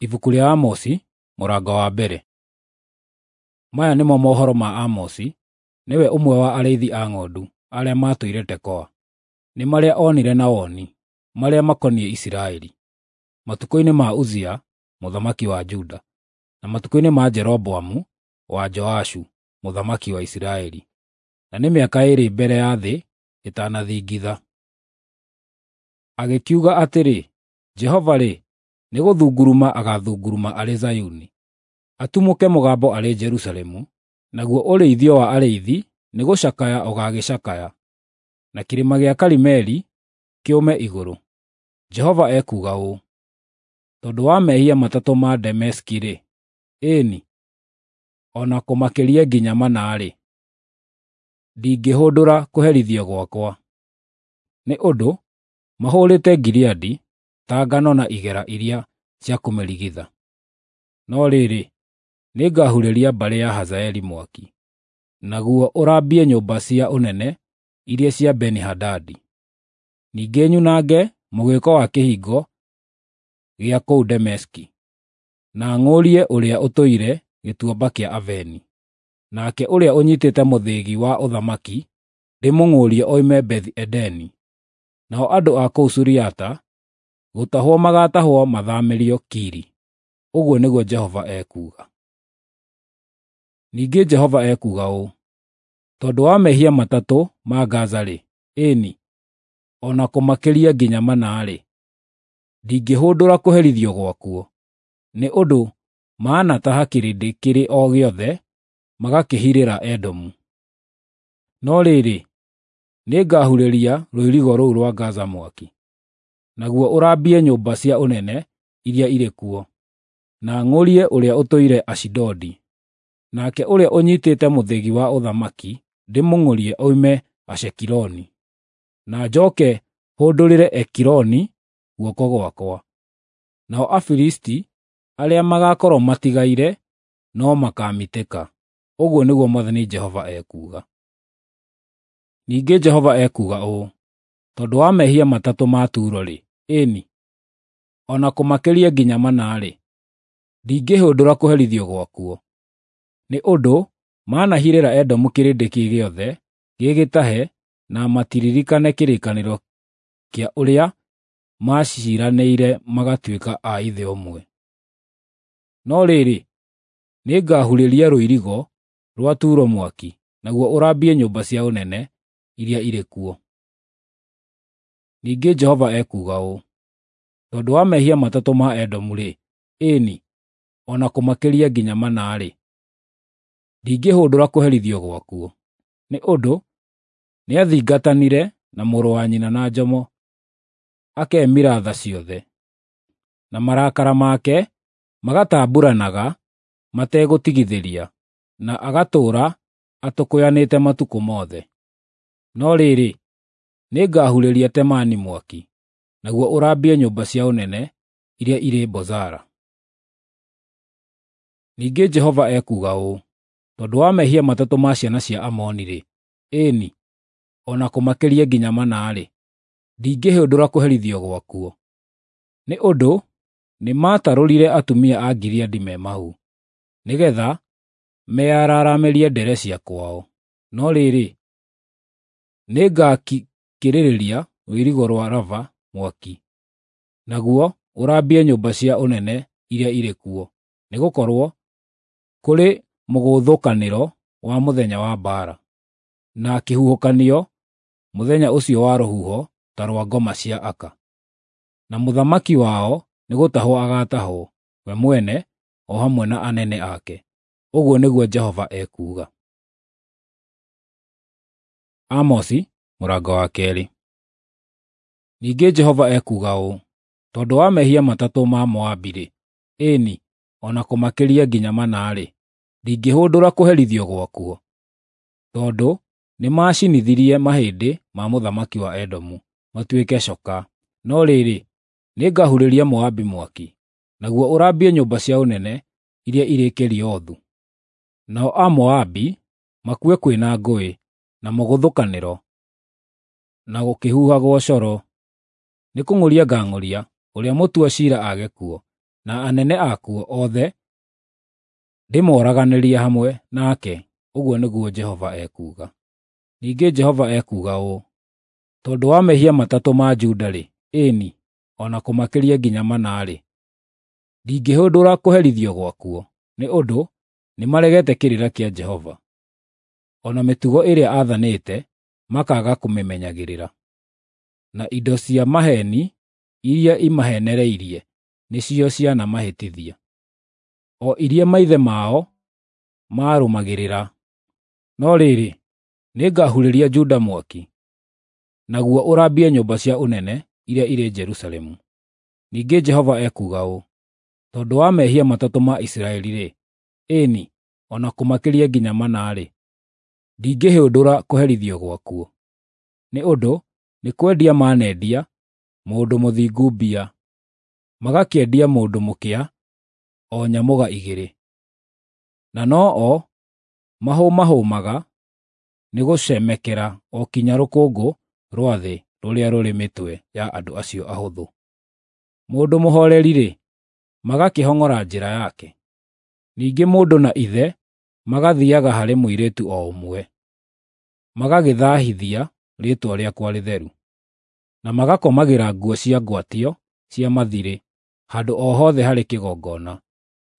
Ibuku rĩa Amosi mũrango wa mbere. Maya nĩmo mohoro ma Amosi, nĩwe ũmwe wa arĩithi a ng'ondu arĩa maatũire Tekoa. Nĩ marĩa onire na woni, marĩa makoniĩ Isiraeli, matukũ-inĩ ma Uzia mũthamaki wa Juda, na matukũ-inĩ ma Jeroboamu wa Joashu mũthamaki wa Isiraeli, na nĩ mĩaka ĩĩrĩ mbere ya thĩ ĩtanathingitha. Agĩkiuga atĩrĩ, Jehova-rĩ, nĩgũthunguruma agaathunguruma arĩ Zayuni, atumũke mũgambo arĩ Jerusalemu, naguo ũrĩithio wa arĩithi nĩgũcakaya ũgaagĩcakaya, na kĩrĩma gĩa Karimeli kĩũme igũrũ. Jehova ekuuga ũũ: Tondũ wa mehia matatũ ma Dameski-rĩ, ĩĩ-ni, o na kũmakĩria nginya mana-rĩ, ndingĩhũndũra kũherithio gwakwa. Nĩ ũndũ mahũũrĩte Gileadi ta ngano na igera iria cia kũmĩrigitha. No rĩrĩ, nĩngahurĩria mbarĩ ya Hazaeli mwaki, naguo ũrambie nyũmba cia ũnene iria cia Beni-Hadadi. Ningĩ nyunange mũgĩĩko wa kĩhingo gĩa kũu Dameski, na ng'ũrie ũrĩa ũtũire Gĩtuamba kĩa Aveni. Nake ũrĩa ũnyiitĩte mũthĩgi wa ũthamaki ndĩmũng'ũrie oime Bethi-Edeni. Nao andũ a kũu Suriata gũtahwo magaatahwo mathaamĩrio Kiri. Ũguo nĩguo Jehova ekuuga. Ningĩ Jehova ekuuga ũũ: Tondũ wa mehia matatũ ma Gaza-rĩ, ĩĩ-ni, o na kũmakĩria nginya mana-rĩ, ndingĩhũndũra kũherithio gwakuo. Nĩ ũndũ maanataha kĩrĩndĩ kĩrĩ o gĩothe magakĩhirĩra Edomu. No rĩrĩ, nĩngahurĩria rũirigo rũu rwa Gaza mwaki, naguo ũrambie nyũmba cia ũnene iria irĩ kuo, na ng'ũrie ũrĩa ũtũire Ashidodi. Nake ũrĩa ũnyiitĩte mũthĩgi wa ũthamaki ndĩmũng'ũrie oime Ashkeloni, na njooke hũndũrĩre Ekironi guoko gwakwa. Nao Afilisti arĩa magaakorwo matigaire no makaamitĩka, ũguo nĩguo Mwathani Jehova ekuuga. Ningĩ Jehova ekuuga ũũ: Tondũ wa mehia matatũ ma Turo-rĩ, ĩĩ-ni, o na kũmakĩria nginya mana-rĩ, ndingĩhũndũra kũherithio gwakuo. Nĩ ũndũ maanahirĩra Edomu kĩrĩndĩ kĩ gĩothe gĩ gĩtahe na matiririkane kĩrĩkanĩro kĩa ũrĩa maaciiranĩire magatuĩka a ithe ũmwe. No rĩrĩ, nĩngahurĩria rũirigo rwa Turo mwaki, naguo ũrambie nyũmba cia ũnene iria irĩ kuo. Ningĩ Jehova ekuuga ũũ: Tondũ wa mehia matatũ ma Edomu-rĩ, ĩĩ-ni, o na kũmakĩria nginya mana-rĩ, ndingĩhũndũra kũherithio gwakuo. Nĩ ũndũ nĩathingatanire na mũrũ wa nyina na njomo, akemira tha ciothe, na marakara make magatambuuranaga mategũtigithĩria, na agatũũra atũkũyanĩte matukũ mothe. No rĩrĩ, nĩngahurĩria Temani mwaki, naguo ũrambie nyũmba cia ũnene iria irĩ Bozara. Ningĩ Jehova ekuuga ũũ: Tondũ wa mehia matatũ ma ciana cia Amoni-rĩ, ĩĩ-ni, o na kũmakĩria nginya mana-rĩ, ndingĩhũndũra kũherithio gwakuo. Nĩ ũndũ nĩmatarũrire atumia a Gileadi me mahu, nĩgeetha meyararamĩrie ndere cia kwao. No rĩrĩ, nĩngakĩrĩrĩria rũirigo rwa Raba mwaki, naguo ũrambie nyũmba cia ũnene iria irĩ kuo, nĩgũkorwo kũrĩ mũgũthũkanĩro wa mũthenya wa mbaara, na kĩhuhũkanio mũthenya ũcio wa rũhuho ta rwa ngoma cia aka. Na mũthamaki wao nĩgũtahwo agaatahwo, we mwene o hamwe na anene ake. Ũguo nĩguo Jehova ekuuga. Amosi mũrango wa keerĩ. Ningĩ Jehova ekuuga ũũ: Tondũ wa mehia matatũ ma Moabi-rĩ, ĩĩ-ni, o na kũmakĩria nginya mana-rĩ, ndingĩhũndũra kũherithio gwakuo. Tondũ nĩmacinithirie mahĩndĩ ma mũthamaki wa Edomu matuĩke coka. No rĩrĩ, nĩngahurĩria Moabi mwaki, naguo ũrambie nyũmba cia ũnene iria irĩ Keriothu. Nao Amoabi makue kwĩ na ngũĩ, na mũgũthũkanĩro, na gũkĩhuhagwo coro. Nĩkũng'ũria ngang'ũria ũrĩa mũtua ciira aage kuo. na anene akuo othe ndĩmoraganĩrie hamwe nake, ũguo nĩguo Jehova ekuuga. Ningĩ Jehova ekuuga ũũ: Tondũ wa mehia matatũ ma Juda-rĩ, ĩĩ-ni, o na kũmakĩria nginya mana-rĩ, ndingĩhũndũra kũherithio gwakuo, nĩ ũndũ nĩmaregete kĩrĩra kĩa Jehova, o na mĩtugo ĩrĩa aathanĩte makaaga kũmĩmenyagĩrĩra. Na indo cia maheeni iria imaheenereirie nĩcio cianamahĩtithia, o iria maithe mao maarũmagĩrĩra. No rĩrĩ, nĩngahurĩria Juda mwaki, naguo ũrambie nyũmba cia ũnene iria irĩ Jerusalemu. Ningĩ Jehova ekuuga ũũ: Tondũ wa mehia matatũ ma Isiraeli-rĩ, ĩĩ-ni, o na kũmakĩria nginya mana-rĩ, ndingĩhũndũra kũherithio gwakuo. Nĩ ũndũ nĩ kwendia maanendia mũndũ mũthingu mbia, magakĩendia mũndũ mũkĩa o nyamũga igĩrĩ. Na no-o mahũmahũmaga nĩ gũcemekera o kinya rũkũngũ rwa thĩ rũrĩa rũrĩ mĩtwe ya andũ acio ahũthũ. Mũndũ mũhooreri-rĩ, magakĩhong'ora njĩra yake. Ningĩ mũndũ na ithe magathiiaga harĩ mũirĩtu o ũmwe, magagĩthaahithia rĩĩtwa rĩakwa rĩtheru, na magakomagĩra nguo cia ngwatio cia mathiirĩ handũ o hothe harĩ kĩgongona,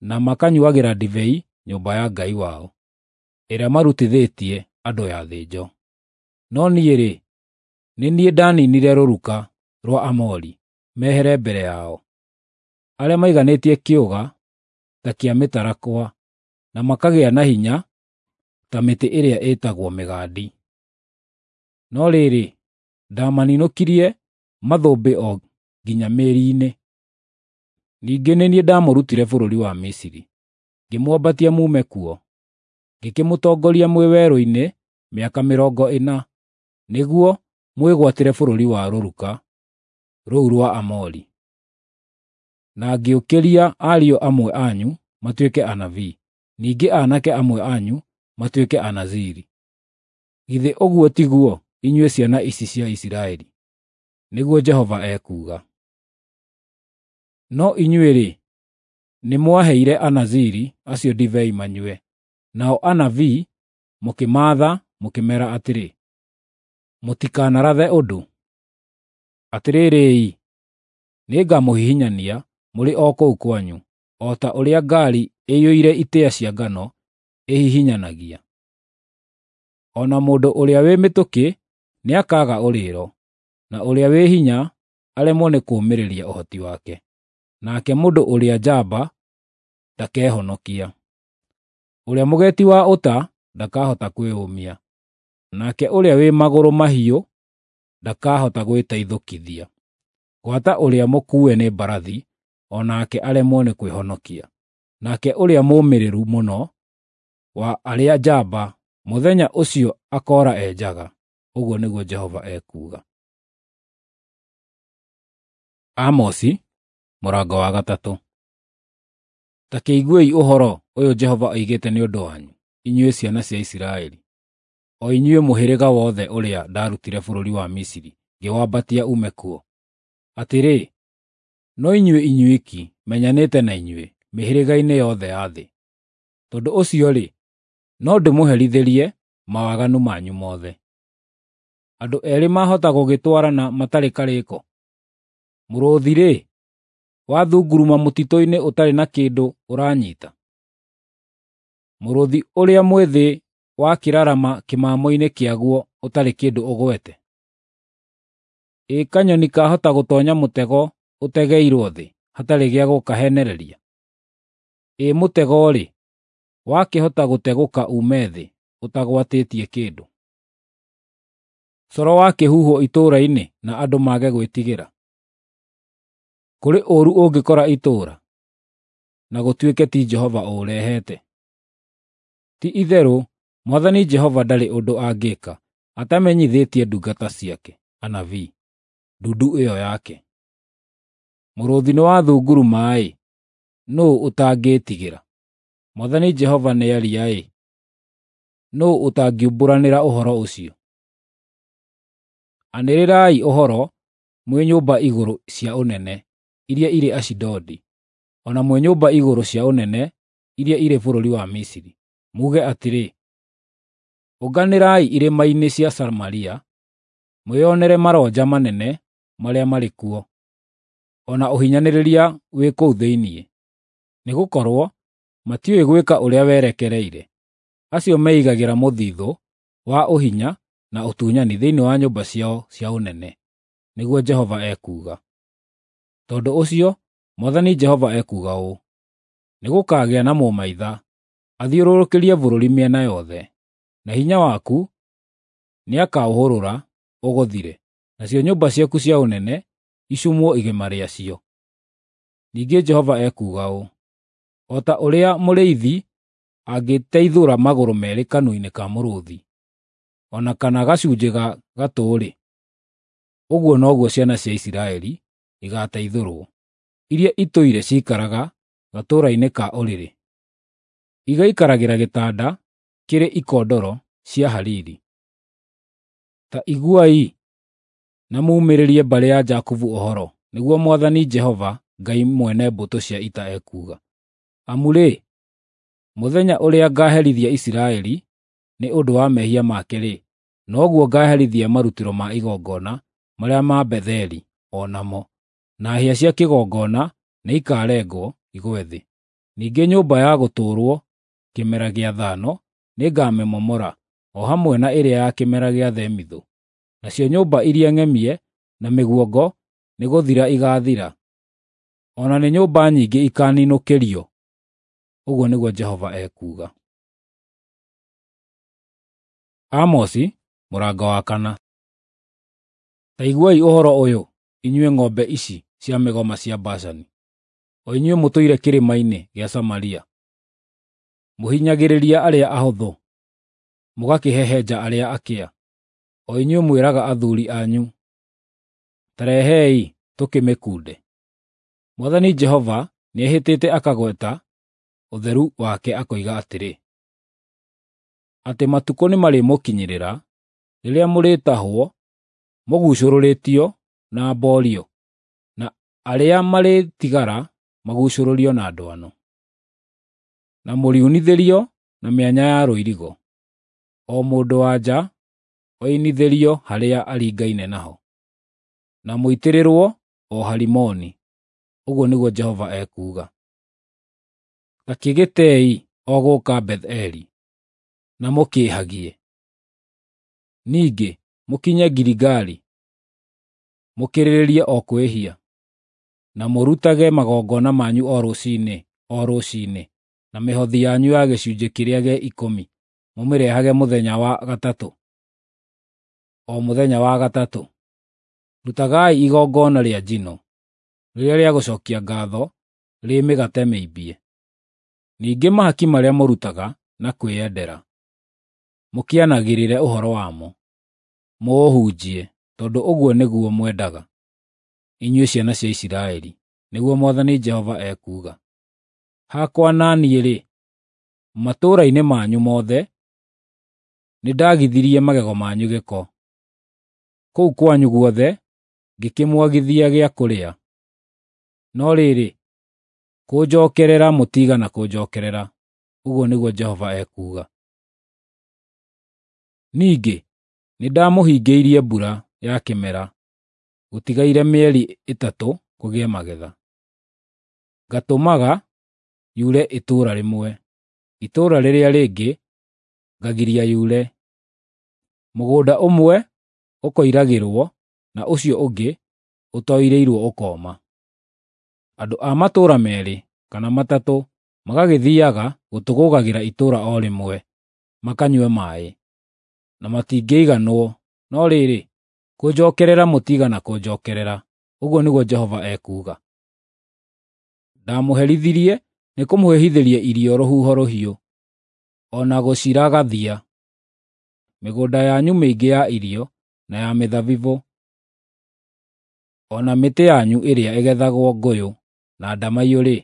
na makanyuuagĩra ndibei nyũmba ya Ngai wao, ĩrĩa marutithĩtie andũ yathĩnjo. No niĩ-rĩ, nĩ niĩ ndaniinire rũruka rwa Aamori mehere mbere yao, arĩa maiganĩtie kĩũga ta kĩa mĩtarakwa na makagĩa na hinya ta mĩtĩ ĩrĩa ĩtagwo mĩgandi. No rĩrĩ, ndaamaninũkirie mathũmbĩ o nginya mĩri-inĩ. Ningĩ nĩ niĩ ndamũrutire bũrũri wa Misiri, ngĩmwambatia muume kuo, ngĩkĩmũtongoria mwĩ werũ-inĩ mĩaka 40, nĩguo mwĩgwatĩre bũrũri wa rũruka rũu rwa Aamori. Na ngĩũkĩria ariũ amwe anyu matuĩke anabii, ningĩ aanake amwe anyu matuĩke Anaziri. Githĩ ũguo tiguo, inyuĩ ciana ici cia Isiraeli? Nĩguo Jehova ekuuga. No inyuĩ-rĩ, nĩmwaheire Anaziri acio ndibei manyue, nao anabii mũkĩmaatha mũkĩmeera atĩrĩ, “Mũtikanarathe ũndũ.” Atĩrĩrĩ-i, nĩngamũhihinyania mũrĩ o kũu kwanyu, o ta ũrĩa ngaari ĩiyũire itĩĩa cia ngano ĩhihinyanagia. O na mũndũ ũrĩa wĩ mĩtũkĩ nĩakaaga ũrĩĩro, na ũrĩa wĩ hinya aremwo nĩ kũũmĩrĩria ũhoti wake, nake mũndũ ũrĩa njamba ndakehonokia. Ũrĩa mũgeeti wa ũta ndakahota kwĩyũmia, nake ũrĩa wĩ magũrũ mahiũ ndakahota gwĩteithũkithia. Gwata ũrĩa mũkuue nĩ mbarathi, o nake aremwo nĩ kwĩhonokia. Nake ũrĩa mũũmĩrĩru mũno wa arĩa njamba mũthenya ũcio akoora e njaga, ũguo nĩguo Jehova ekuuga. Amosi mũrango wa 3. Ta kĩiguei ũhoro ũyũ Jehova oigĩte nĩ ũndũ wanyu, inyuĩ ciana cia Isiraeli, o inyuĩ mũhĩrĩga wothe ũrĩa ndaarutire bũrũri wa Misiri ngĩwambatia uume kuo. Atĩrĩ, no inyuĩ inyuiki menyanĩte na inyuĩ mĩhĩrĩga-inĩ yothe ya thĩ. Tondũ ũcio-rĩ, no ndĩmũherithĩrie mawaganu manyu mothe. Andũ eerĩ maahota gũgĩtwarana matarĩ karĩko? Mũrũũthi-rĩ, wathunguruma mũtitũ-inĩ ũtarĩ na kĩndũ ũranyiita? Mũrũũthi ũrĩa mwĩthĩ wakĩrarama kĩmamo-inĩ kĩaguo ũtarĩ kĩndũ ũgwete? Ĩ kanyoni kaahota gũtoonya mũtego ũtegeirwo thĩ hatarĩ gĩa gũkaheenereria? Ĩ mũtego-rĩ, wakĩhota gũtegũka uume thĩ ũtagwatĩtie kĩndũ? Coro wakĩhuhwo itũũra-inĩ na andũ mage gwĩtigĩra? Kũrĩ ũũru ũngĩkora itũũra, na gũtuĩke ti Jehova ũũrehete? Ti-itherũ Mwathani Jehova ndarĩ ũndũ angĩĩka atamenyithĩtie ndungata ciake, anabii, ndundu ĩyo yake. Mũrũũthi nĩwathunguruma-ĩ, nũũ ũtangĩĩtigĩra? Mwathani Jehova nĩaria-ĩ, nũũ ũtangiumbũranĩra ũhoro ũcio? Anĩrĩrai ũhoro mwĩ nyũmba igũrũ cia ũnene iria irĩ Ashidodi. o na mwĩ nyũmba igũrũ cia ũnene iria irĩ bũrũri wa Misiri, muuge atĩrĩ, Ũnganĩrai irĩma-inĩ cia Samaria, mwĩonere maronja manene marĩa marĩ kuo, o na ũhinyanĩrĩria wĩ kũu thĩinĩ. Nĩgũkorwo matiũĩ gwĩka ũrĩa werekereire, acio meigagĩra mũthithũ wa ũhinya na ũtunyani thĩinĩ wa nyũmba ciao cia ũnene, nĩguo Jehova ekuuga. Tondũ ũcio Mwathani Jehova ekuuga ũũ: Nĩgũkagĩa na mũmaitha athiũrũrũkĩrie bũrũri mĩena yothe, na hinya waku nĩakaũhũrũra ũgũthire, nacio nyũmba ciaku cia ũnene icumwo igima rĩacio. Ningĩ Jehova ekuuga ũũ: O ta ũrĩa mũrĩithi angĩteithũra magũrũ meerĩ kanua-inĩ ka mũrũũthi, o na kana gacunjĩ ga gatũ-rĩ, ũguo noguo ciana cia Isiraeli igaateithũrwo, iria itũire ciikaraga gatũũra-inĩ ka ũrĩrĩ, igaikaragĩra gĩtanda kĩrĩ ikondoro cia hariri. Ta iguai na muumĩrĩrie mbarĩ ya Jakubu ũhoro, nĩguo Mwathani Jehova Ngai mwene mbũtũ cia ita ekuuga. Amu-rĩ, mũthenya ũrĩa ngaaherithia Isiraeli nĩ ũndũ wa mehia make-rĩ, noguo ngaaherithia marutĩro ma igongona marĩa ma Betheli o namo, na hĩa cia kĩgongona nĩikarengwo igwe thĩ. Ningĩ nyũmba ya gũtũũrwo kĩmera gĩa thano nĩngamĩmomora, o hamwe na ĩrĩa ya kĩmera gĩa themithũ. Nacio nyũmba iria ng'emie na mĩguongo nĩgũthira igaathira, o na nĩ nyũmba nyingĩ ikaaninũkĩrio, ũguo nĩguo Jehova ekuuga. Amosi mũrango wa kana. Ta iguai ũhoro ũyũ, inyuĩ ng'ombe ici cia mĩgoma cia Bashani, o inyuĩ mũtũire kĩrĩma-inĩ gĩa Samaria, mũhinyagĩrĩria arĩa ahũthũ, mũgakĩhehenja arĩa akĩa, o inyuĩ mwĩraga athuuri anyu, “Ta rehei tũkĩmĩkunde.” Mwathani Jehova nĩehĩtĩte akagweta ũtheru wake akoiga atĩrĩ, atĩ matukũ nĩmarĩmũkinyĩrĩra rĩrĩa mũrĩtahwo mũguucũrũrĩtio na mboorio, na arĩa marĩtigara maguucũrũrio na ndwano, na mũriunithĩrio na mĩanya ya rũirigo, o mũndũ-wa-nja oinithĩrio harĩa aringaine naho, na mũitĩrĩrwo o Harimoni, ũguo nĩguo Jehova ekuuga. Ta kĩgĩtei o gũka Beth-eli, na mũkĩĩhagie. Ningĩ mũkinye Giligali, mũkĩrĩrĩrie o kwĩhia, na mũrutage magongona manyu o rũciinĩ o rũciinĩ, na mĩhothi yanyu ya gĩcunjĩ kĩrĩa gĩa ikũmi mũmĩrehage mũthenya wa gatatũ, o mũthenya wa gatatũ. Rutagai igongona rĩa njino, rĩrĩa rĩa gũcookia ngaatho rĩ mĩgate mĩimbie. Ningĩ mahaki marĩa mũrutaga na kwĩyendera, mũkĩanagĩrĩre ũhoro wamo, mũũhunjie, tondũ ũguo nĩguo mwendaga, inyuĩ ciana cia Isiraeli, nĩguo Mwathani Jehova ekuuga. Hakwa na niĩ-rĩ, matũũra-inĩ manyu mothe nĩndagithirie magego manyu gĩko. Kũu kwanyu guothe ngĩkĩmwagithia gĩa kũrĩa. No rĩrĩ, kũnjookerera mũtiigana kũnjookerera, ũguo nĩguo Jehova ekuuga. Ningĩ nĩndamũhingĩirie mbura ya kĩmera gũtigaire mĩeri ĩtatũ kũgĩe magetha. Ngatũmaga yure itũũra rĩmwe, itũũra rĩrĩa rĩngĩ ngagiria yure. Mũgũnda ũmwe ũkoiragĩrwo na ũcio ũngĩ ũtoirĩirwo ũkooma. Andũ a matũũra meerĩ kana matatũ magagĩthiiaga gũtũgũgagĩra itũũra o rĩmwe makanyue maaĩ, na matingĩiganwo, no rĩrĩ, kũnjookerera mũtiigana kũnjookerera, ũguo nĩguo Jehova ekuuga. Ndamũherithirie nĩkũmũhĩhithĩria irio rũhuho rũhiũ, o na gũciragathia. Mĩgũnda yanyu mĩingĩ ya irio na ya mĩthabibũ, o na mĩtĩ yanyu ĩrĩa ĩgethagwo ngũyũ na ndamaiyũ-rĩ,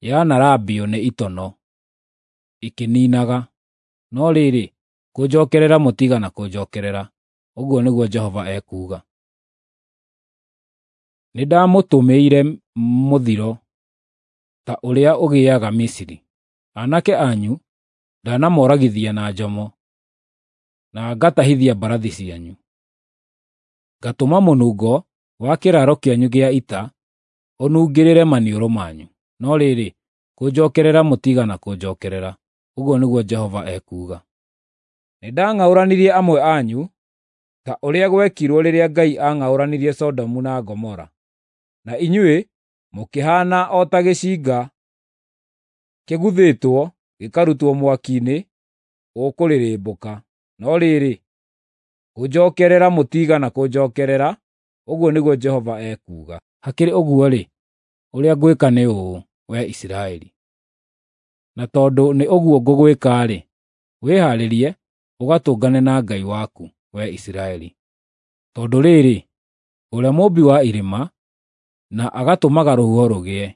yanarambio nĩ itono, ikĩniinaga. No rĩrĩ, kũnjookerera mũtiigana kũnjookerera, ũguo nĩguo Jehova ekuuga. Nĩndamũtũmĩire mũthiro ta ũrĩa ũgĩaga Misiri. Aanake anyu ndanamoragithia na njomo, na ngatahithia mbarathi cianyu. Ngatũma mũnungo wa kĩraaro kĩanyu gĩa ita ũnungĩrĩre maniũrũ manyu. No rĩrĩ, kũnjookerera mũtiigana kũnjookerera, ũguo nĩguo Jehova ekuuga. Nĩndang'aũranirie amwe anyu ta ũrĩa gwekirwo rĩrĩa Ngai aang'aũranirie Sodomu na Gomora, na inyuĩ mũkĩhaana o ta gĩcinga kĩguthĩtwo gĩkarutwo mwaki-inĩ ũkũrĩrĩmbũka. No rĩrĩ, kũnjookerera mũtiigana kũnjookerera, ũguo nĩguo Jehova ekuuga. Hakĩrĩ ũguo-rĩ, ũrĩa ngwĩka nĩ ũũ, wee Isiraeli, na tondũ nĩ ũguo ngũgwĩka-rĩ, wĩhaarĩrie ũgatũngane na Ngai waku, wee Isiraeli. Tondũ rĩrĩ, ũrĩa mũũmbi wa irĩma, na agatũmaga rũhuho rũgĩe,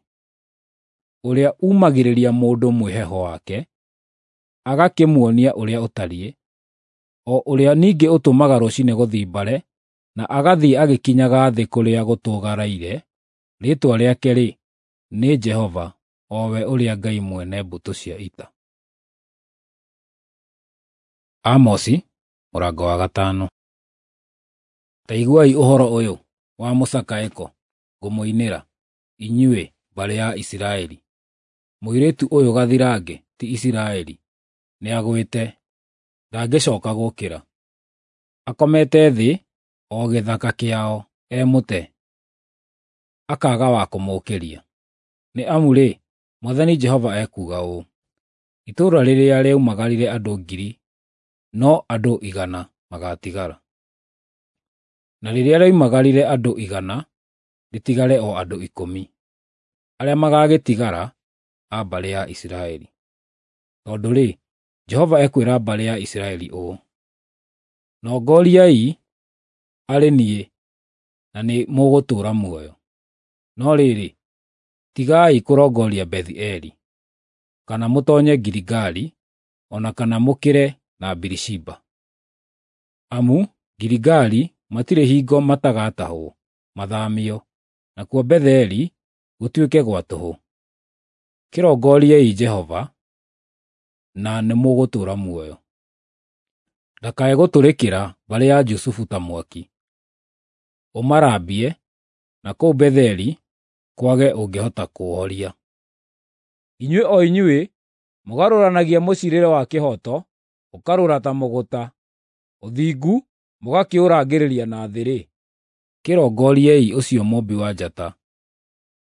ũrĩa uumagĩrĩria mũndũ mwĩheho wake, agakĩmuonia ũrĩa ũtariĩ, o ũrĩa ningĩ ũtũmaga rũciinĩ gũthimbare, na agathiĩ agĩkinyaga thĩ kũrĩa gũtũgaraire, rĩĩtwa rĩake-rĩ, nĩ Jehova, o we ũrĩa Ngai mwene mbũtũ cia ita. Amosi mũrango wa gatano. Ta iguai ũhoro ũyũ wa mũcakaĩko ngũmũinĩra, inyuĩ mbarĩ ya Isiraeli. Mũirĩtu ũyũ gathirange ti Isiraeli nĩagwĩte, ndangĩcooka gũũkĩra. Akomete thĩ o gĩthaka kĩao e mũte, akaaga wa kũmũũkĩria. Nĩ amu-rĩ, Mwathani Jehova ekuuga ũũ: Itũũra rĩrĩa rĩoimagarire andũ 1,000 no andũ 100 magaatigara, na rĩrĩa rĩoimagarire andũ 100 rĩtigare o andũ 10, arĩa magaagĩtigara a mbarĩ ya Isiraeli. Tondũ-rĩ, Jehova ekwĩra mbarĩ ya Isiraeli ũũ: Nongoriai arĩ niĩ, na nĩmũgũtũũra muoyo. No rĩrĩ, tigai kũrongoria Bethi-Eli, kana mũtoonye Giligali, o na kana mũkĩre na Birishiba. Amu Giligali matirĩ hingo matagatahwo mathaamio, nakuo Betheli gũtuĩke gwa tũhũ. Kĩrongoriei Jehova, na nĩmũgũtũũra muoyo. Ndakae gũtũrĩkĩra mbarĩ ya Jusufu ta mwaki, ũmarambie, na kũu Betheli kwage ũngĩhota kũũhoria. Inyuĩ o inyuĩ mũgarũranagia mũciirĩre wa kĩhooto ũkarũra ta mũgũta, ũthingu mũgakĩũrangĩrĩria na thĩ-rĩ, kĩrongoriei ũcio mũũmbi wa njata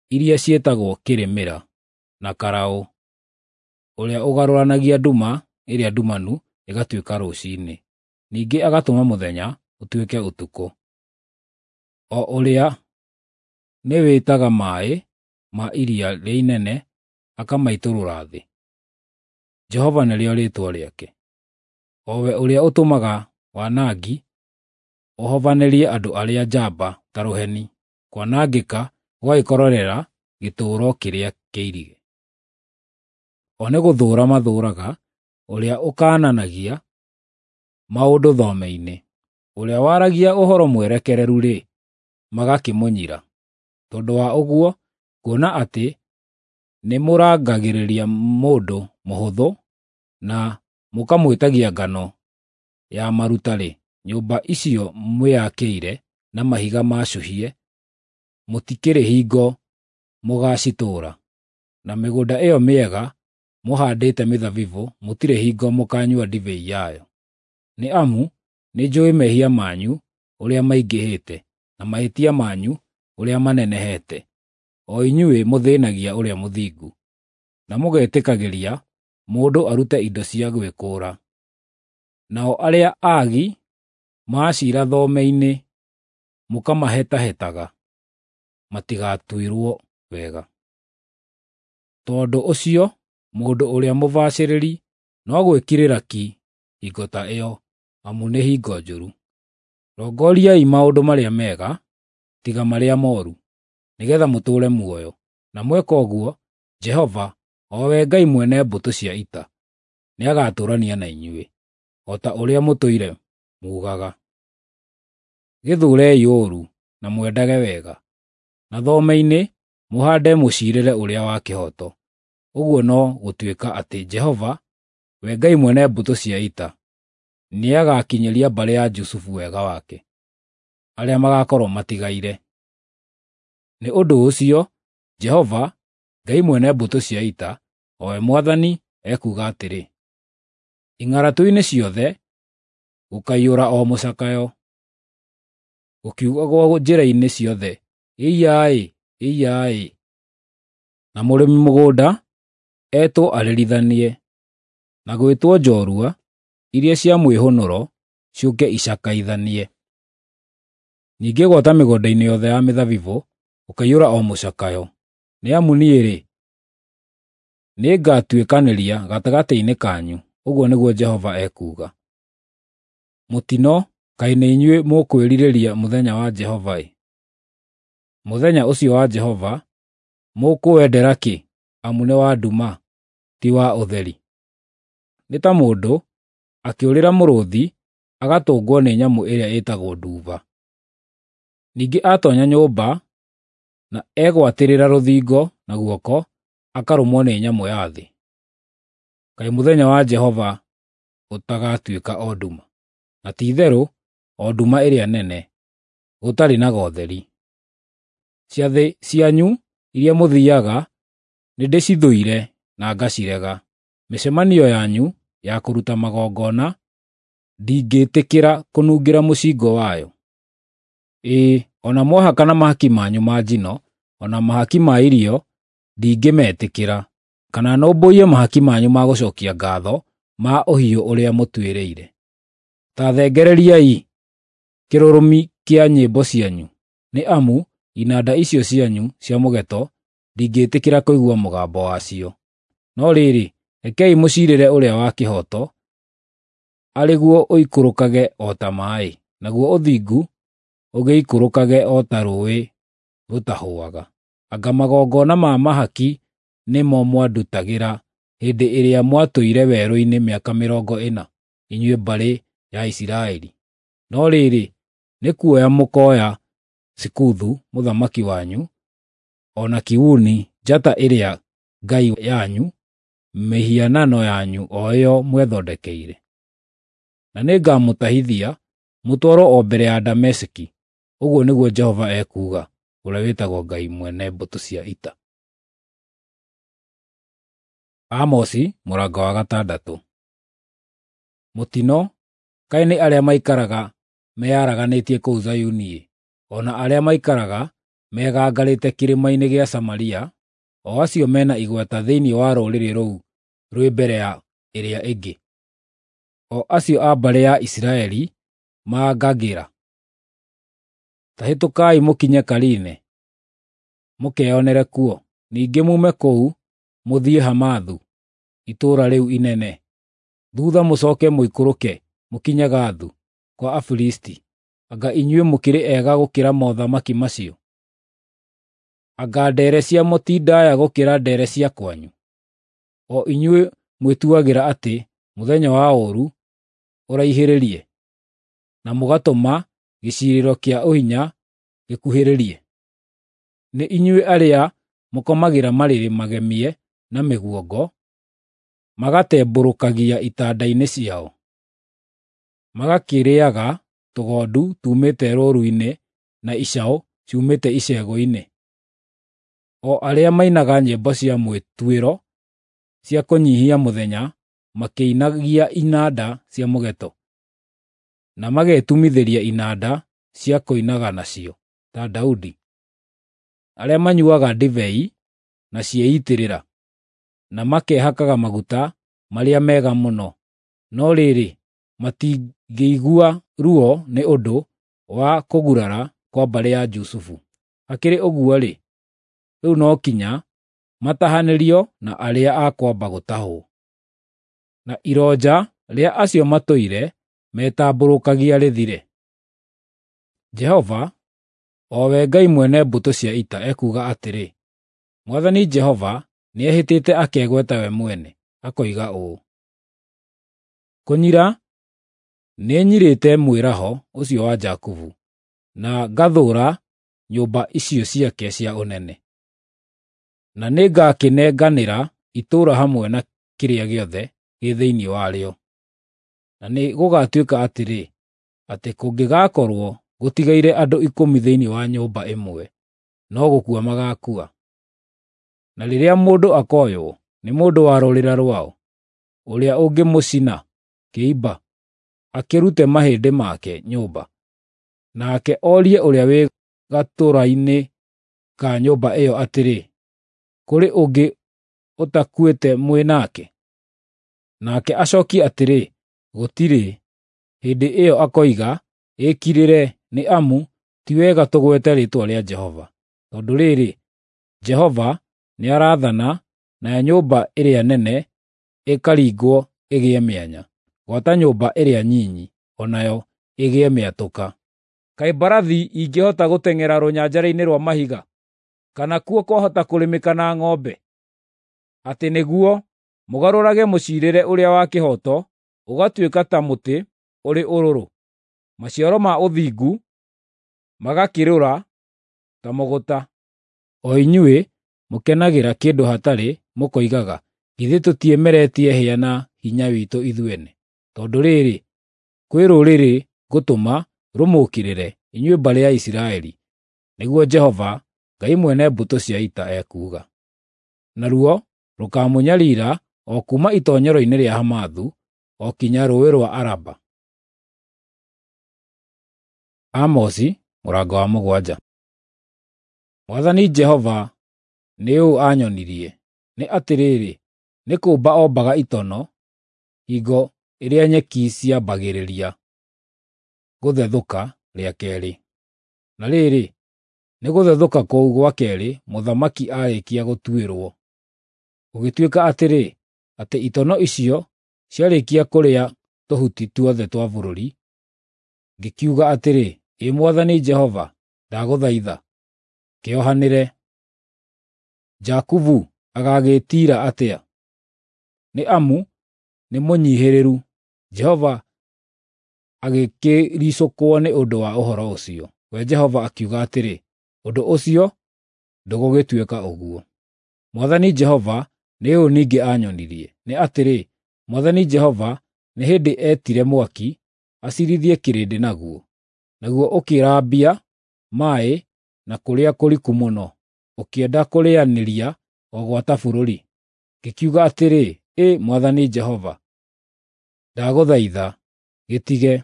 iria ciĩtagwo Kĩrĩmĩra na Karaũ, ũrĩa ũgarũranagia nduma ĩrĩa ndumanu ĩgatuĩka rũciinĩ, ningĩ agatũma mũthenya ũtuĩke ũtukũ, o ũrĩa nĩwĩtaga maaĩ ma iria rĩa inene akamaitũrũra thĩ. Jehova nĩrĩo rĩĩtwa rĩake, o we ũrĩa ũtũmaga wanangi ũhovanĩrie andũ arĩa njamba ta rũheni, kwanangĩka gũgagĩkorerera gĩtũũro kĩrĩa kĩirige. O nĩ gũthũũra mathũũraga ũrĩa ũkaananagia maũndũ thome-inĩ, ũrĩa waragia ũhoro mwerekereru-rĩ, magakĩmũnyira. Tondũ wa ũguo, kuona atĩ nĩmũrangagĩrĩria mũndũ mũhũthũ na mũkamwĩtagia ngano ya maruta-rĩ, nyũmba icio mwĩakĩire na mahiga maacũhie mũtikĩrĩ hingo mũgaacitũũra, na mĩgũnda ĩyo mĩega mũhaandĩte mĩthabibũ mũtirĩ hingo mũkaanyua ndibei yayo. Nĩ amu nĩnjũũĩ mehia manyu ũrĩa maingĩhĩte, na mahĩtia manyu ũrĩa manenehete, o inyuĩ mũthĩĩnagia ũrĩa mũthingu, na mũgetĩkagĩria mũndũ arute indo cia gwĩkũũra. Nao arĩa aagi maacira thome-inĩ mũkamahetahetaga matigatuĩrwo wega. Tondũ ũcio mũndũ ũrĩa mũbacĩrĩri no gwĩkirĩra ki hingo ta ĩyo, amu nĩ hingo njũru. Rongoriai maũndũ marĩa mega, tiga marĩa mooru, nĩgeetha mũtũũre muoyo. Na mweka ũguo, Jehova, o we Ngai mwene mbũtũ cia ita, nĩagatũũrania na inyuĩ, o ta ũrĩa mũtũire muugaga. Gĩthũũrei ũũru na mwendage wega, na thome-inĩ mũhaande mũciirĩre ũrĩa wa kĩhooto. Ũguo no gũtuĩka atĩ Jehova, we Ngai mwene mbũtũ cia ita, nĩagakinyĩria mbarĩ ya Jusufu wega wake, arĩa magakorwo matigaire. Nĩ ũndũ ũcio Jehova, Ngai mwene mbũtũ cia ita, o we Mwathani, ekuuga atĩrĩ: Ing'aratua-inĩ ciothe gũkaiyũra o mũcakayo, gũkiugagwo njĩra-inĩ ciothe, Ĩiya-ĩ! Ĩiya-ĩ! Na mũrĩmi mũgũnda etwo arĩrithanie, na gwĩtwo njorua iria cia mwĩhũnũro ciũke icakaithanie. Ningĩ gwata mĩgũnda-inĩ yothe ya mĩthabibũ gũkaiyũra o mũcakayo, nĩ amu niĩ-rĩ, nĩngatuĩkanĩria gatagatĩ-inĩ kanyu, ũguo nĩguo Jehova ekuuga. Mũtino, kaĩ nĩ inyuĩ mũkwĩrirĩria mũthenya wa Jehova-ĩ! Mũthenya ũcio wa Jehova mũkũwendera kĩ, amu nĩ wa nduma, ti wa ũtheri? Nĩ ta mũndũ akĩũrĩra mũrũũthi agatũngwo nĩ nyamũ ĩrĩa ĩtagwo nduba. Ningĩ aatoonya nyũmba na egwatĩrĩra rũthingo na guoko, akarũmwo nĩ nyamũ ya thĩ. Kaĩ mũthenya wa Jehova ũtagatuĩka o nduma, na ti-itherũ o nduma ĩrĩa nene, gũtarĩ na gotheri. Ciathĩ cianyu iria mũthiiaga nĩndĩcithũire na ngacirega; mĩcemanio yanyu ya kũruta magongona ndingĩĩtĩkĩra kũnungĩra mũcingo wayo. Ĩĩ, o na mwahakana mahaki manyu ma njino, o na mahaki ma irio, ndingĩmetĩkĩra, kana nũmbũiye mahaki manyu ma gũcookia ngaatho ma ũhiũ ũrĩa mũtuĩrĩire. Ta thengereriai kĩrũrũmi kĩa nyĩmbo cianyu, nĩ amu inanda icio cianyu cia mũgeeto ndingĩĩtĩkĩra kũigua mũgambo wacio. No rĩrĩ, rekei mũciirĩre ũrĩa wa kĩhooto, arĩ guo ũikũrũkage o ta maaĩ, naguo ũthingu ũgĩikũrũkage o ta rũũĩ rũtahũaga. Anga magongona ma mahaki nĩmo mwandutagĩra hĩndĩ ĩrĩa mwatũire werũ-inĩ mĩaka 40, inyuĩ mbarĩ ya Isiraeli? No rĩrĩ, nĩ kuoya mũkooya Sikuthu mũthamaki wanyu, o na Kiuni njata ĩrĩa ngai yanyu, mĩhianano yanyu o ĩyo mwethondekeire. Na nĩngamũtahithia mũtwarwo o mbere ya Dameski, ũguo nĩguo Jehova ekuuga, ũrĩa wĩtagwo Ngai mwene mbũtũ cia ita. Amosi mũrango wa gatandatũ. Mũtino, kaĩ nĩ arĩa maikaraga meyaraganĩtie kũu Zayuni-ĩ, o na arĩa maikaraga megangarĩte kĩrĩma-inĩ gĩa Samaria, o acio mena igweta thĩinĩ wa rũrĩrĩ rũu rwĩ mbere ya ĩrĩa ĩngĩ, o acio a mbarĩ ya Isiraeli maangagĩra. Ta hĩtũkai mũkinye Kaline, mũkeyonere kuo, ningĩ muume kũu mũthiĩ Hamathu, itũũra rĩu inene. Thuutha mũcooke mũikũrũke mũkinye Gathu, kwa Afilisti. Anga inyuĩ mũkĩrĩ ega gũkĩra mothamaki macio? Anga ndeere ciamo ti ndaaya gũkĩra ndeere cia kwanyu? O inyuĩ mwĩtuagĩra atĩ mũthenya wa ũũru ũraihĩrĩrie, na mũgatũma gĩciirĩro kĩa ũhinya gĩkuhĩrĩrie. Nĩ inyuĩ arĩa mũkomagĩra marĩrĩ magemie na mĩguongo, magatembũrũkagia itanda-inĩ ciao, magakĩrĩĩaga tũgondu tuumĩte rũũru-inĩ na icaũ ciumĩte icegũ-inĩ, o arĩa mainaga nyĩmbo cia mwĩtuĩro cia kũnyiihia mũthenya makĩinagia inanda cia mũgeeto, na magetumithĩria inanda cia kũinaga nacio, ta Daudi, arĩa manyuuaga ndibei na ciĩitĩrĩra, na makehakaga maguta marĩa mega mũno, no rĩrĩ, matingĩigua ruo nĩ ũndũ wa kũgurara kwa mbarĩ ya Jusufu. Hakĩrĩ ũguo-rĩ, rĩu no kinya matahanĩrio na arĩa a kwamba gũtahwo, na ironja rĩa acio matũire metambũrũkagia rĩthire. Jehova, o we Ngai mwene mbũtũ cia ita, ekuuga atĩrĩ, Mwathani Jehova nĩehĩtĩte akegweta we mwene, akoiga ũũ: Kũnyira nĩnyirĩte mwĩraho ũcio wa Jakubu, na ngathũũra nyũmba icio ciake cia ũnene. Na nĩngakĩnenganĩra itũũra hamwe na kĩrĩa gĩothe gĩ thĩinĩ warĩo. Na nĩ gũgatuĩka atĩrĩ, atĩ kũngĩgakorwo gũtigaire andũ 10 thĩinĩ wa nyũmba ĩmwe, no gũkua magaakua. Na rĩrĩa mũndũ akoywo nĩ mũndũ wa rũrĩra rwao, ũrĩa ũngĩmũcina kĩimba, akĩrute mahĩndĩ make nyũmba, nake orie ũrĩa wĩ gatũra-inĩ ka nyũmba ĩyo atĩrĩ, “Kũrĩ ũngĩ ũtakuĩte mwĩ nake?” Nake acokie atĩrĩ, “Gũtirĩ.” Hĩndĩ ĩyo akoiga, “Ĩkirĩre, nĩ amu ti wega tũgwete rĩĩtwa rĩa Jehova.” Tondũ rĩrĩ, Jehova nĩarathana, nayo nyũmba ĩrĩa nene ĩkaringwo ĩgĩe mĩanya, gwata nyũmba ĩrĩa nyinyi o nayo ĩgĩe mĩatũka. Kaĩ mbarathi ingĩhota gũteng'era rũnyanjara-inĩ rwa mahiga, kana kuo kwahota kũrĩmĩka na ng'ombe? Atĩ nĩguo mũgarũrage mũciirĩre ũrĩa wa kĩhooto ũgatuĩka ta mũtĩ ũrĩ ũrũrũ, maciaro ma ũthingu magakĩrũra ta mũgũta. O inyuĩ mũkenagĩra kĩndũ hatarĩ, mũkoigaga, “Githĩ tũtiĩmeretie hĩa na hinya witũ ithuene?” Tondũ rĩrĩ, kwĩ rũrĩrĩ ngũtũma rũmũũkĩrĩre, inyuĩ mbarĩ ya Isiraeli, nĩguo Jehova, Ngai mwene mbũtũ cia ita ekuuga. Naruo rũkaamũnyariira o kuuma itoonyero-inĩ rĩa Hamathu o kinya Rũũĩ rwa Araba. Amosi mũrango wa 7. Mwathani Jehova nĩ ũũ aanyonirie, nĩ atĩrĩrĩ, nĩ kũũmba ombaga itono hingo ĩrĩa nyeki ciambagĩrĩria gũthethũka rĩa keerĩ. Na rĩrĩ, nĩ gũthethũka kũu gwa keerĩ mũthamaki aarĩkia gũtuĩrwo. Gũgĩtuĩka atĩrĩ, atĩ itono icio ciarĩkia kũrĩa tũhuti tuothe twa bũrũri, ngĩkiuga atĩrĩ, “Ĩ Mwathani Jehova, ndagũthaitha, kĩohanĩre.” Jakubu agagĩĩtiira atĩa? Nĩ amu nĩmũnyiihĩrĩru. Jehova agĩkĩricũkwo nĩ ũndũ wa ũhoro ũcio. We Jehova akiuga atĩrĩ, “Ũndũ ũcio ndũgũgĩtuĩka ũguo.” Mwathani Jehova nĩ ũũ ningĩ aanyonirie, nĩ atĩrĩ, Mwathani Jehova nĩ hĩndĩ eetire mwaki aciirithie kĩrĩndĩ naguo, naguo ũkĩrambia maaĩ na kũrĩa kũriku mũno, ũkĩenda kũrĩanĩria o gwata bũrũri. Ngĩkiuga atĩrĩ, “Ĩ Mwathani Jehova, ndagũthaitha, gĩtige.”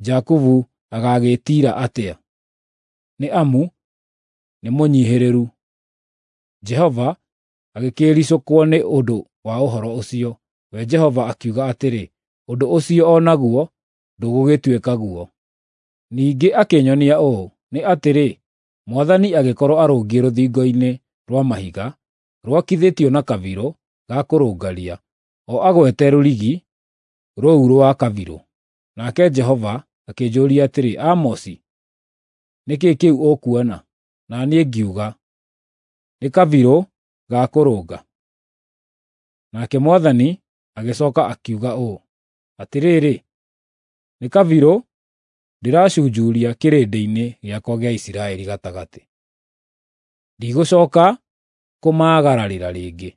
Jakubu agagĩĩtiira atĩa? Nĩ amu nĩmũnyiihĩrĩru. Jehova agĩkĩĩricũkwo nĩ ũndũ wa ũhoro ũcio. We Jehova akiuga atĩrĩ, “Ũndũ ũcio o naguo ndũgũgĩtuĩka guo.” Ningĩ akĩnyonia ũũ, nĩ atĩrĩ, Mwathani agĩkorwo arũngiĩ rũthingo-inĩ rwa mahiga, rwakithĩtio na kabirũ ga kũrũngaria, o agwete rũrigi rũu rwa kabirũ. Nake Jehova akĩnjũũria atĩrĩ, “Amosi, nĩ kĩĩ kĩu ũkuona?” Na niĩ ngiuga, “Nĩ kabirũ ga kũrũnga.” Nake Mwathani agĩcooka akiuga ũũ, “Atĩrĩrĩ, nĩ kabirũ ndĩracunjuria kĩrĩndĩ-inĩ gĩakwa gĩa Isiraeli gatagatĩ. Ndigũcooka kũmaagararĩra rĩngĩ.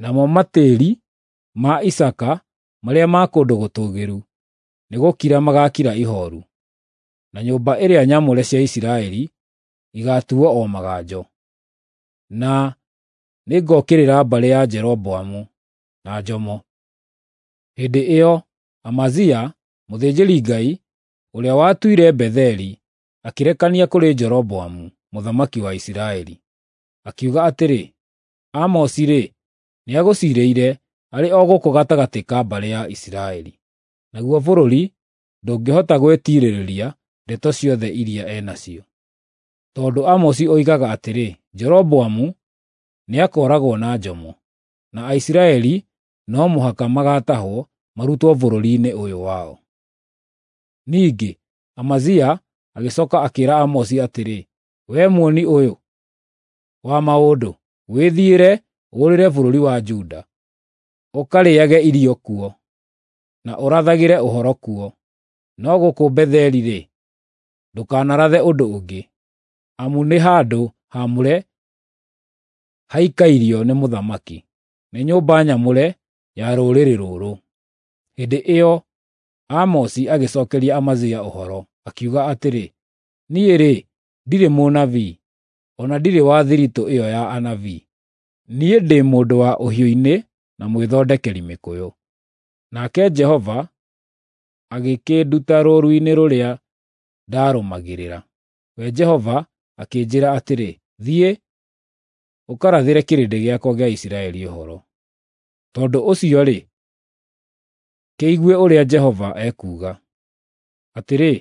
Namo matĩĩri ma Isaaka marĩa ma kũndũ gũtũũgĩru nĩgũkira magaakira ihooru, na nyũmba ĩrĩa nyamũre cia Isiraeli igaatuuo o maganjo. Na nĩngokĩrĩra mbarĩ ya Jeroboamu na njomo. Hĩndĩ ĩyo Amazia, mũthĩnjĩri-Ngai, ũrĩa watũire Betheli, akĩrekania kũrĩ Jeroboamu mũthamaki wa Isiraeli, akiuga atĩrĩ, “Amosi-rĩ, nĩagũciirĩire arĩ o gũkũ gatagatĩ ka mbarĩ ya Isiraeli, naguo bũrũri ndũngĩhota gwĩtiirĩrĩria ndeto ciothe iria e nacio. Tondũ Amosi oigaga atĩrĩ, Jeroboamu nĩakooragwo na njomo, na Aisiraeli no mũhaka magaatahwo marutwo bũrũri-inĩ ũyũ wao.” Ningĩ Amazia agĩcooka akĩĩra Amosi atĩrĩ, “Wee muoni ũyũ wa maũndũ, wĩthiĩre ũũrĩre bũrũri wa Juda, ũkarĩĩage irio kuo, na ũrathagĩre ũhoro kuo. No gũkũ Betheli-rĩ, ndũkanarathe ũndũ ũngĩ, amu nĩ handũ haamũre haikairio nĩ mũthamaki, nĩ nyũmba nyamũre ya rũrĩrĩ rũrũ. Hĩndĩ ĩyo Amosi agĩcookeria Amazia ũhoro, akiuga atĩrĩ, “Niĩ-rĩ, ndirĩ mũnabii, o na ndirĩ wa thiritũ ĩyo ya anabii. Niĩ ndĩ mũndũ wa ũhiũ-inĩ na mwĩthondekeri mĩkũyũ. Nake Jehova agĩkĩnduta rũũru-inĩ rũrĩa ndaarũmagĩrĩra. We Jehova akĩnjĩĩra atĩrĩ, ‘Thiĩ, ũkarathĩre kĩrĩndĩ gĩakwa gĩa Isiraeli ũhoro.’ Tondũ ũcio-rĩ, kĩigue ũrĩa Jehova ekuuga. Atĩrĩ,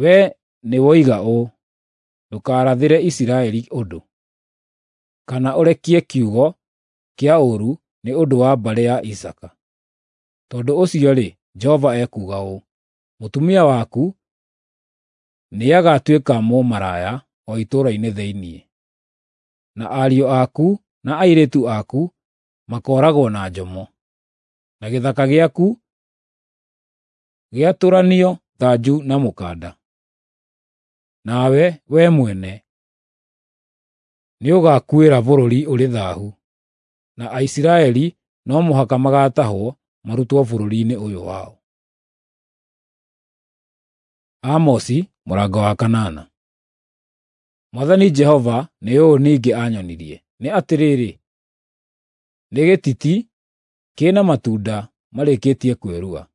wee nĩwoiga ũũ, ‘Ndũkarathĩre Isiraeli ũndũ, kana ũrekie kiugo kĩa ũũru nĩ ũndũ wa mbarĩ ya Isaaka.’ Tondũ ũcio-rĩ, Jehova ekuuga ũũ: Mũtumia waku nĩagatuĩka mũmaraya o itũũra-inĩ thĩinĩ, na ariũ aku na airĩtu aku makooragwo na njomo, na gĩthaka gĩaku gĩatũranio thanju na mũkanda. Nawe, wee mwene, nĩũgakuĩra bũrũri ũrĩ thaahu, na Aisiraeli no mũhaka magaatahwo marutwo bũrũri-inĩ ũyũ wao. Amosi mũrango wa kanana. Mwathani Jehova nĩ ũũ ningĩ aanyonirie, nĩ atĩrĩrĩ, nĩ gĩtiti kĩna matunda marĩkĩtie kwĩrua.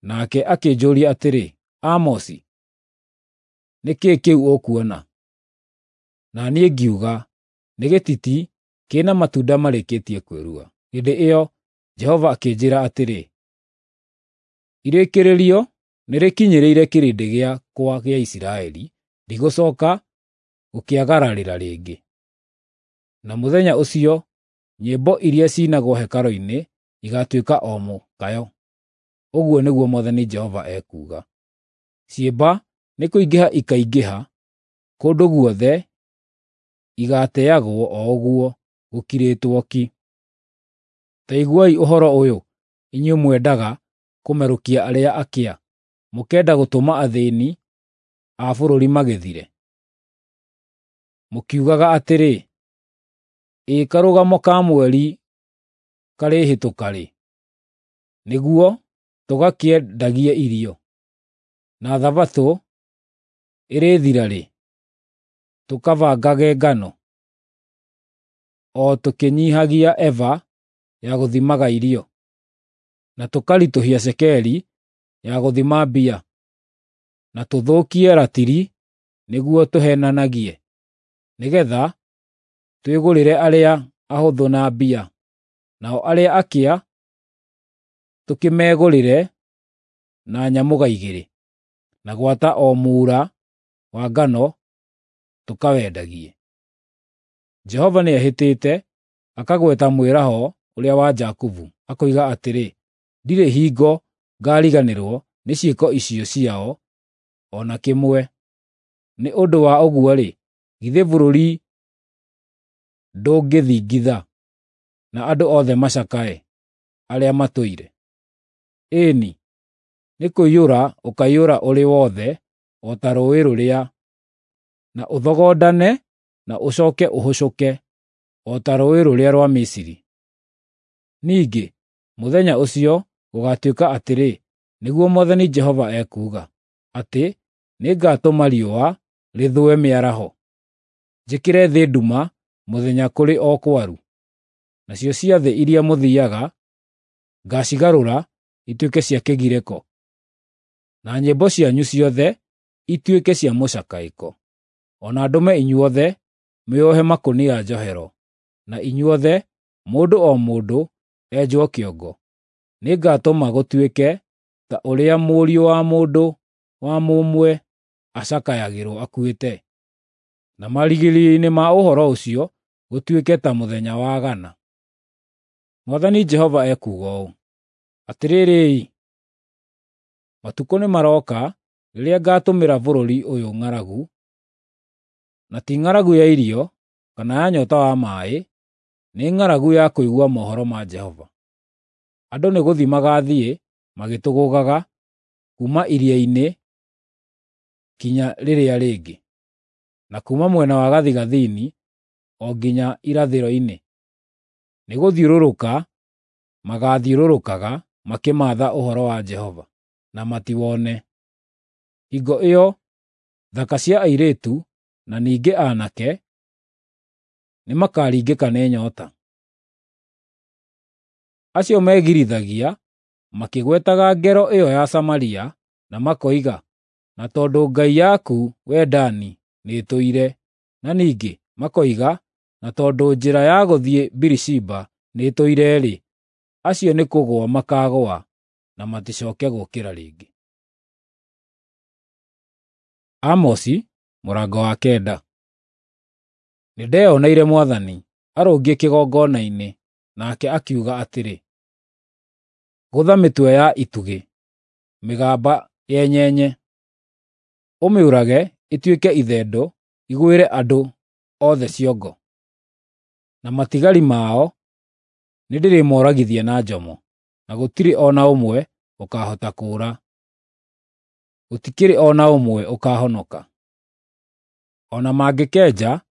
Nake akĩnjũũria atĩrĩ, “Amosi, nĩ kĩĩ kĩu ũkuona?” Na niĩ ngiuga, “Nĩ gĩtiti kĩna matunda marĩkĩtie kwĩrua.” Hĩndĩ ĩyo Jehova akĩnjĩĩra atĩrĩ, “Irĩkĩrĩrio nĩrĩkinyĩrĩire kĩrĩndĩ gĩakwa gĩa Isiraeli, ndigũcooka gũkĩagararĩra rĩngĩ.” Na mũthenya ũcio nyĩmbo iria ciinagwo hekarũ-inĩ igaatuĩka o mũkayo. Ũguo nĩguo Mwathani Jehova ekuuga. Ciimba nĩkũingĩha ikaingĩha kũndũ guothe, igaateagwo o ũguo gũkirĩtwo ki. Ta iguai ũhoro ũyũ, inyuĩ mwendaga kũmerũkia arĩa akĩa, mũkenda gũtũma athĩĩni a bũrũri magĩthire, mũkiugaga atĩrĩ, “Ĩ karũgamo ka mweri karĩhĩtũka rĩ, nĩguo tũgakĩendagie irio, na Thabatũ ĩrĩthira rĩ, tũkabangage ngano, o tũkĩnyiihagia eba ya gũthimaga irio, na tũkaritũhia cekeri ya gũthima mbia, na tũthũkie ratiri nĩguo tũheenanagie, nĩgeetha twĩgũrĩre arĩa ahũthũ na mbia, nao arĩa akĩa tũkĩmegũrĩre na nyamũga igĩrĩ, na gwata o muura wa ngano tũkawendagie. Jehova nĩehĩtĩte akagweta mwĩraho ũrĩa wa Jakubu, akoiga atĩrĩ, “Ndirĩ hingo ngaariganĩrwo nĩ ciĩko icio ciao o na kĩmwe.” Nĩ ũndũ wa ũguo-rĩ, githĩ bũrũri ndũngĩthingitha, na andũ othe macakae, arĩa matũire? Ĩĩ-ni, nĩkũiyũra ũkaiyũra ũrĩ wothe o ta rũũĩ rũrĩa, na ũthogondane na ũcooke ũhũcũke o ta rũũĩ rũrĩa rwa Misiri. Ningĩ mũthenya ũcio gũgaatuĩka atĩrĩ, nĩguo Mwathani Jehova ekuuga, atĩ nĩngatũma riũa rĩthũe mĩaraho, njĩkĩre thĩ nduma mũthenya kũrĩ o kwaru. Nacio ciathĩ iria mũthiiaga ngaacigarũra ituĩke cia kĩgirĩko, na nyĩmbo cianyu ciothe ituĩke cia mũcakaĩko. O na ndũme inyuothe mwĩohe makũnia njohero, na inyuothe, mũndũ o mũndũ, enjwo kĩongo. Nĩngatũma gũtuĩke ta ũrĩa mũriũ wa mũndũ wa mũmwe acakayagĩrwo akuĩte, na marigĩrĩrio-inĩ ma ũhoro ũcio gũtuĩke ta mũthenya wa gana. Mwathani Jehova ekuuga ũũ: Atĩrĩrĩ-i, matukũ nĩmarooka rĩrĩa ngaatũmĩra bũrũri ũyũ ng'aragu, na ti ng'aragu ya irio kana ya nyoota wa maaĩ, nĩ ng'aragu ya kũigua mohoro ma Jehova. Andũ nĩgũthiĩ magaathiĩ magĩtũgũũgaga kuuma iria-inĩ kinya rĩrĩa rĩngĩ, na kuuma mwena wa gathigathini o nginya irathĩro-inĩ, nĩgũthiũrũrũka magaathiũrũrũkaga makĩmaatha ũhoro wa Jehova, na matiwone. Hingo ĩyo thaka cia airĩtu na ningĩ aanake nĩmakaringĩka nĩ nyoota. Acio megirithagia makĩgwetaga ngero ĩyo ya Samaria na makoiga, na tondũ ngai yaku, wee Dani, nĩĩtũire, na ningĩ makoiga, na tondũ njĩra ya gũthiĩ Birishiba nĩĩtũire-rĩ, acio nĩ kũgũa makaagũa na maticooke gũũkĩra rĩngĩ. Amosi mũrango wa 9. Nĩndeyoneire Mwathani arũngiĩ kĩgongona-inĩ, nake akiuga atĩrĩ, gũtha mĩtwe ya itugĩ mĩgamba yenyenye, ũmĩũrage ĩtuĩke ithendo igwĩre andũ othe ciongo, na matigari mao nĩndĩrĩmoragithia na njomo, na gũtirĩ o na ũmwe ũkaahota kũũra, gũtikĩrĩ o na ũmwe ũkaahonoka. O na mangĩkenja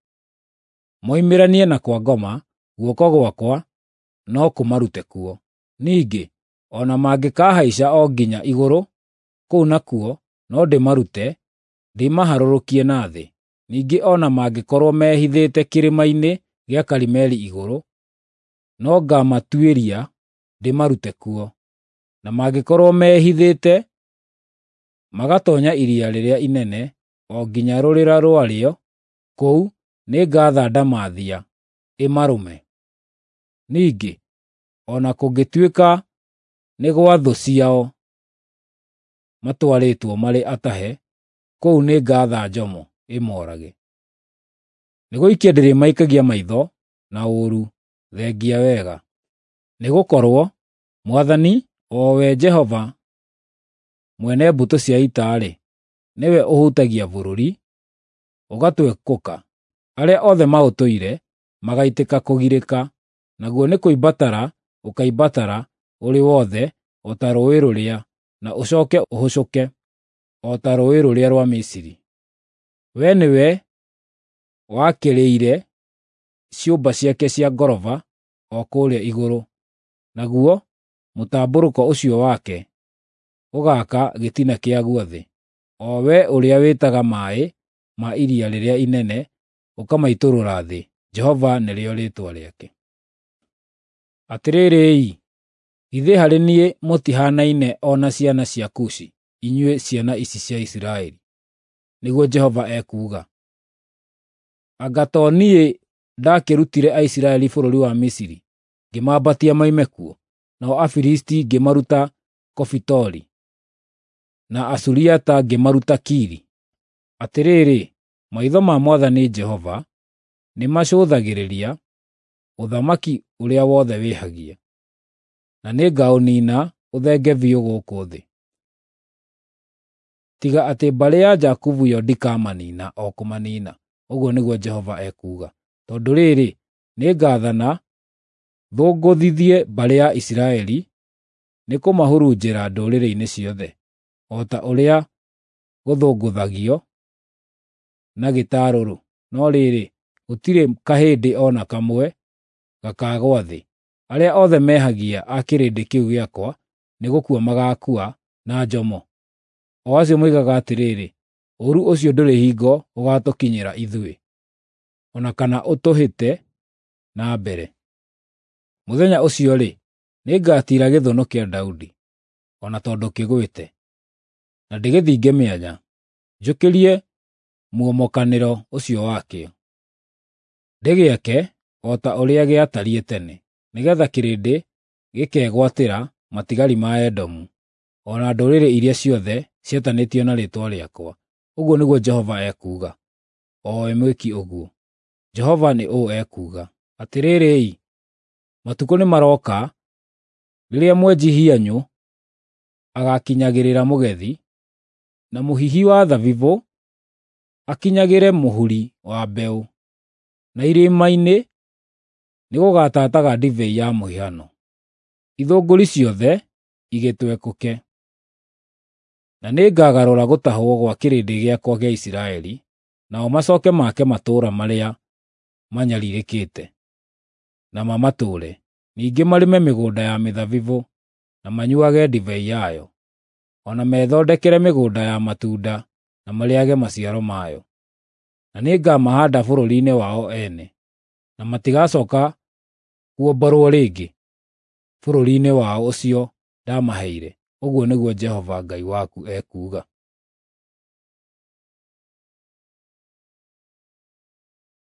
moimĩranie na kwa ngoma, guoko gwakwa no kũmarute kuo. Ningĩ o na mangĩkaahaica o nginya igũrũ, kũu nakuo no ndĩmarute ndĩmaharũrũkie na thĩ. Ningĩ o na mangĩkorwo mehithĩte kĩrĩma-inĩ gĩa Karimeli igũrũ, no ngaamatuĩria ndĩmarute kuo. Na mangĩkorwo mehithĩte magatoonya iria rĩrĩa inene o nginya rũrĩra rwarĩo, kũu nĩngatha ndamathia ĩmarũme. Ningĩ o na kũngĩtuĩka nĩ gwa thũ ciao matwarĩtwo marĩ atahe, kũu nĩngatha njomo ĩmoorage. Nĩgũikia ndĩrĩmaikagia maitho na ũũru thengia wega. Nĩgũkorwo Mwathani, o we Jehova mwene mbũtũ cia ita-rĩ, nĩwe ũhutagia bũrũri, ũgatwekũka. Arĩa othe maũtũire magaitĩka kũgirĩka, naguo nĩ kũimbatara ũkaimbatara ũrĩ wothe o ta rũũĩ rũrĩa, na ũcooke ũhũcũke o ta rũũĩ rũrĩa rwa Misiri. We nĩwe wakĩrĩire ciũmba ciake cia ngoroba o kũrĩa igũrũ, naguo mũtambũrũko ũcio wake ũgaaka gĩtina kĩaguo thĩ, o we ũrĩa wĩtaga maaĩ ma iria rĩrĩa inene ũkamaitũrũra thĩ, Jehova nĩrĩo rĩĩtwa rĩake. Atĩrĩrĩ-i, githĩ harĩ niĩ mũtihaanaine o na ciana cia Kushi, inyuĩ ciana ici cia Isiraeli? Nĩguo Jehova ekuuga. Anga to niĩ ndakĩrutire Aisiraeli bũrũri wa Misiri, ngĩmaambatia moime kuo, nao Afilisti ngĩmaruta Kofitori, na Asuriata ngĩmaruta Kiri? Atĩrĩrĩ, maitho ma Mwathani Jehova nĩmacũthagĩrĩria ũthamaki ũrĩa wothe wĩhagia, na nĩngaũniina ũthenge biũ gũkũ thĩ. Tiga atĩ mbarĩ ya Jakubu yo ndikamanina o kũmanina, ũguo nĩguo Jehova ekuuga. Tondũ rĩrĩ, nĩngathana thũngũthithie mbarĩ ya Isiraeli nĩkũmahurunjĩra ndũrĩrĩ-inĩ ciothe, o ta ũrĩa gũthũngũthagio na gĩtarũrũ, no rĩrĩ, gũtirĩ kahĩndĩ o na kamwe gakaagũa thĩ. Arĩa othe mehagia a kĩrĩndĩ kĩu gĩakwa nĩgũkua magaakua na njomo, o acio moigaga atĩrĩ, ‘Ũũru ũcio ndũrĩ hingo ũgaatũkinyĩra ithuĩ, o na kana ũtũhĩte na mbere.’ Mũthenya ũcio-rĩ, nĩngatiira gĩthũnũ kĩa Daudi, o na tondũ kĩgwĩte, na ndĩgĩthinge mĩanya, njũkĩrie muomokanĩro ũcio wakĩo. Ndĩgĩake o ta ũrĩa gĩatariĩ tene, nĩgeetha kĩrĩndĩ gĩkegwatĩra matigari ma Edomu, o na ndũrĩrĩ iria ciothe ciĩtanĩtio na rĩĩtwa rĩakwa, ũguo nĩguo Jehova ekuuga, o we mwĩki ũguo. Jehova nĩ ũũ ekuuga: Atĩrĩrĩ-i, matukũ nĩmarooka rĩrĩa mwenji hianyũ agaakinyagĩrĩra mũgethi, na mũhihi wa thabibũ akinyagĩre mũhuri wa mbeũ, na irĩma-inĩ nĩgũgatataga ndibei ya mũhihano, ithũngũri ciothe igĩtwekũke. Na nĩngagarũra gũtahwo gwa kĩrĩndĩ gĩakwa gĩa Isiraeli, nao macooke make matũũra marĩa manyariirĩkĩte, na mamatũũre. Ningĩ marĩme mĩgũnda ya mĩthabibũ na manyuuage ndibei yayo, o na methondekere mĩgũnda ya matunda na marĩĩage maciaro mayo. Na nĩngamahaanda bũrũri-inĩ wao ene, na matigacooka kuomborwo rĩngĩ bũrũri-inĩ wao ũcio ndaamaheire, ũguo nĩguo Jehova Ngai waku ekuuga.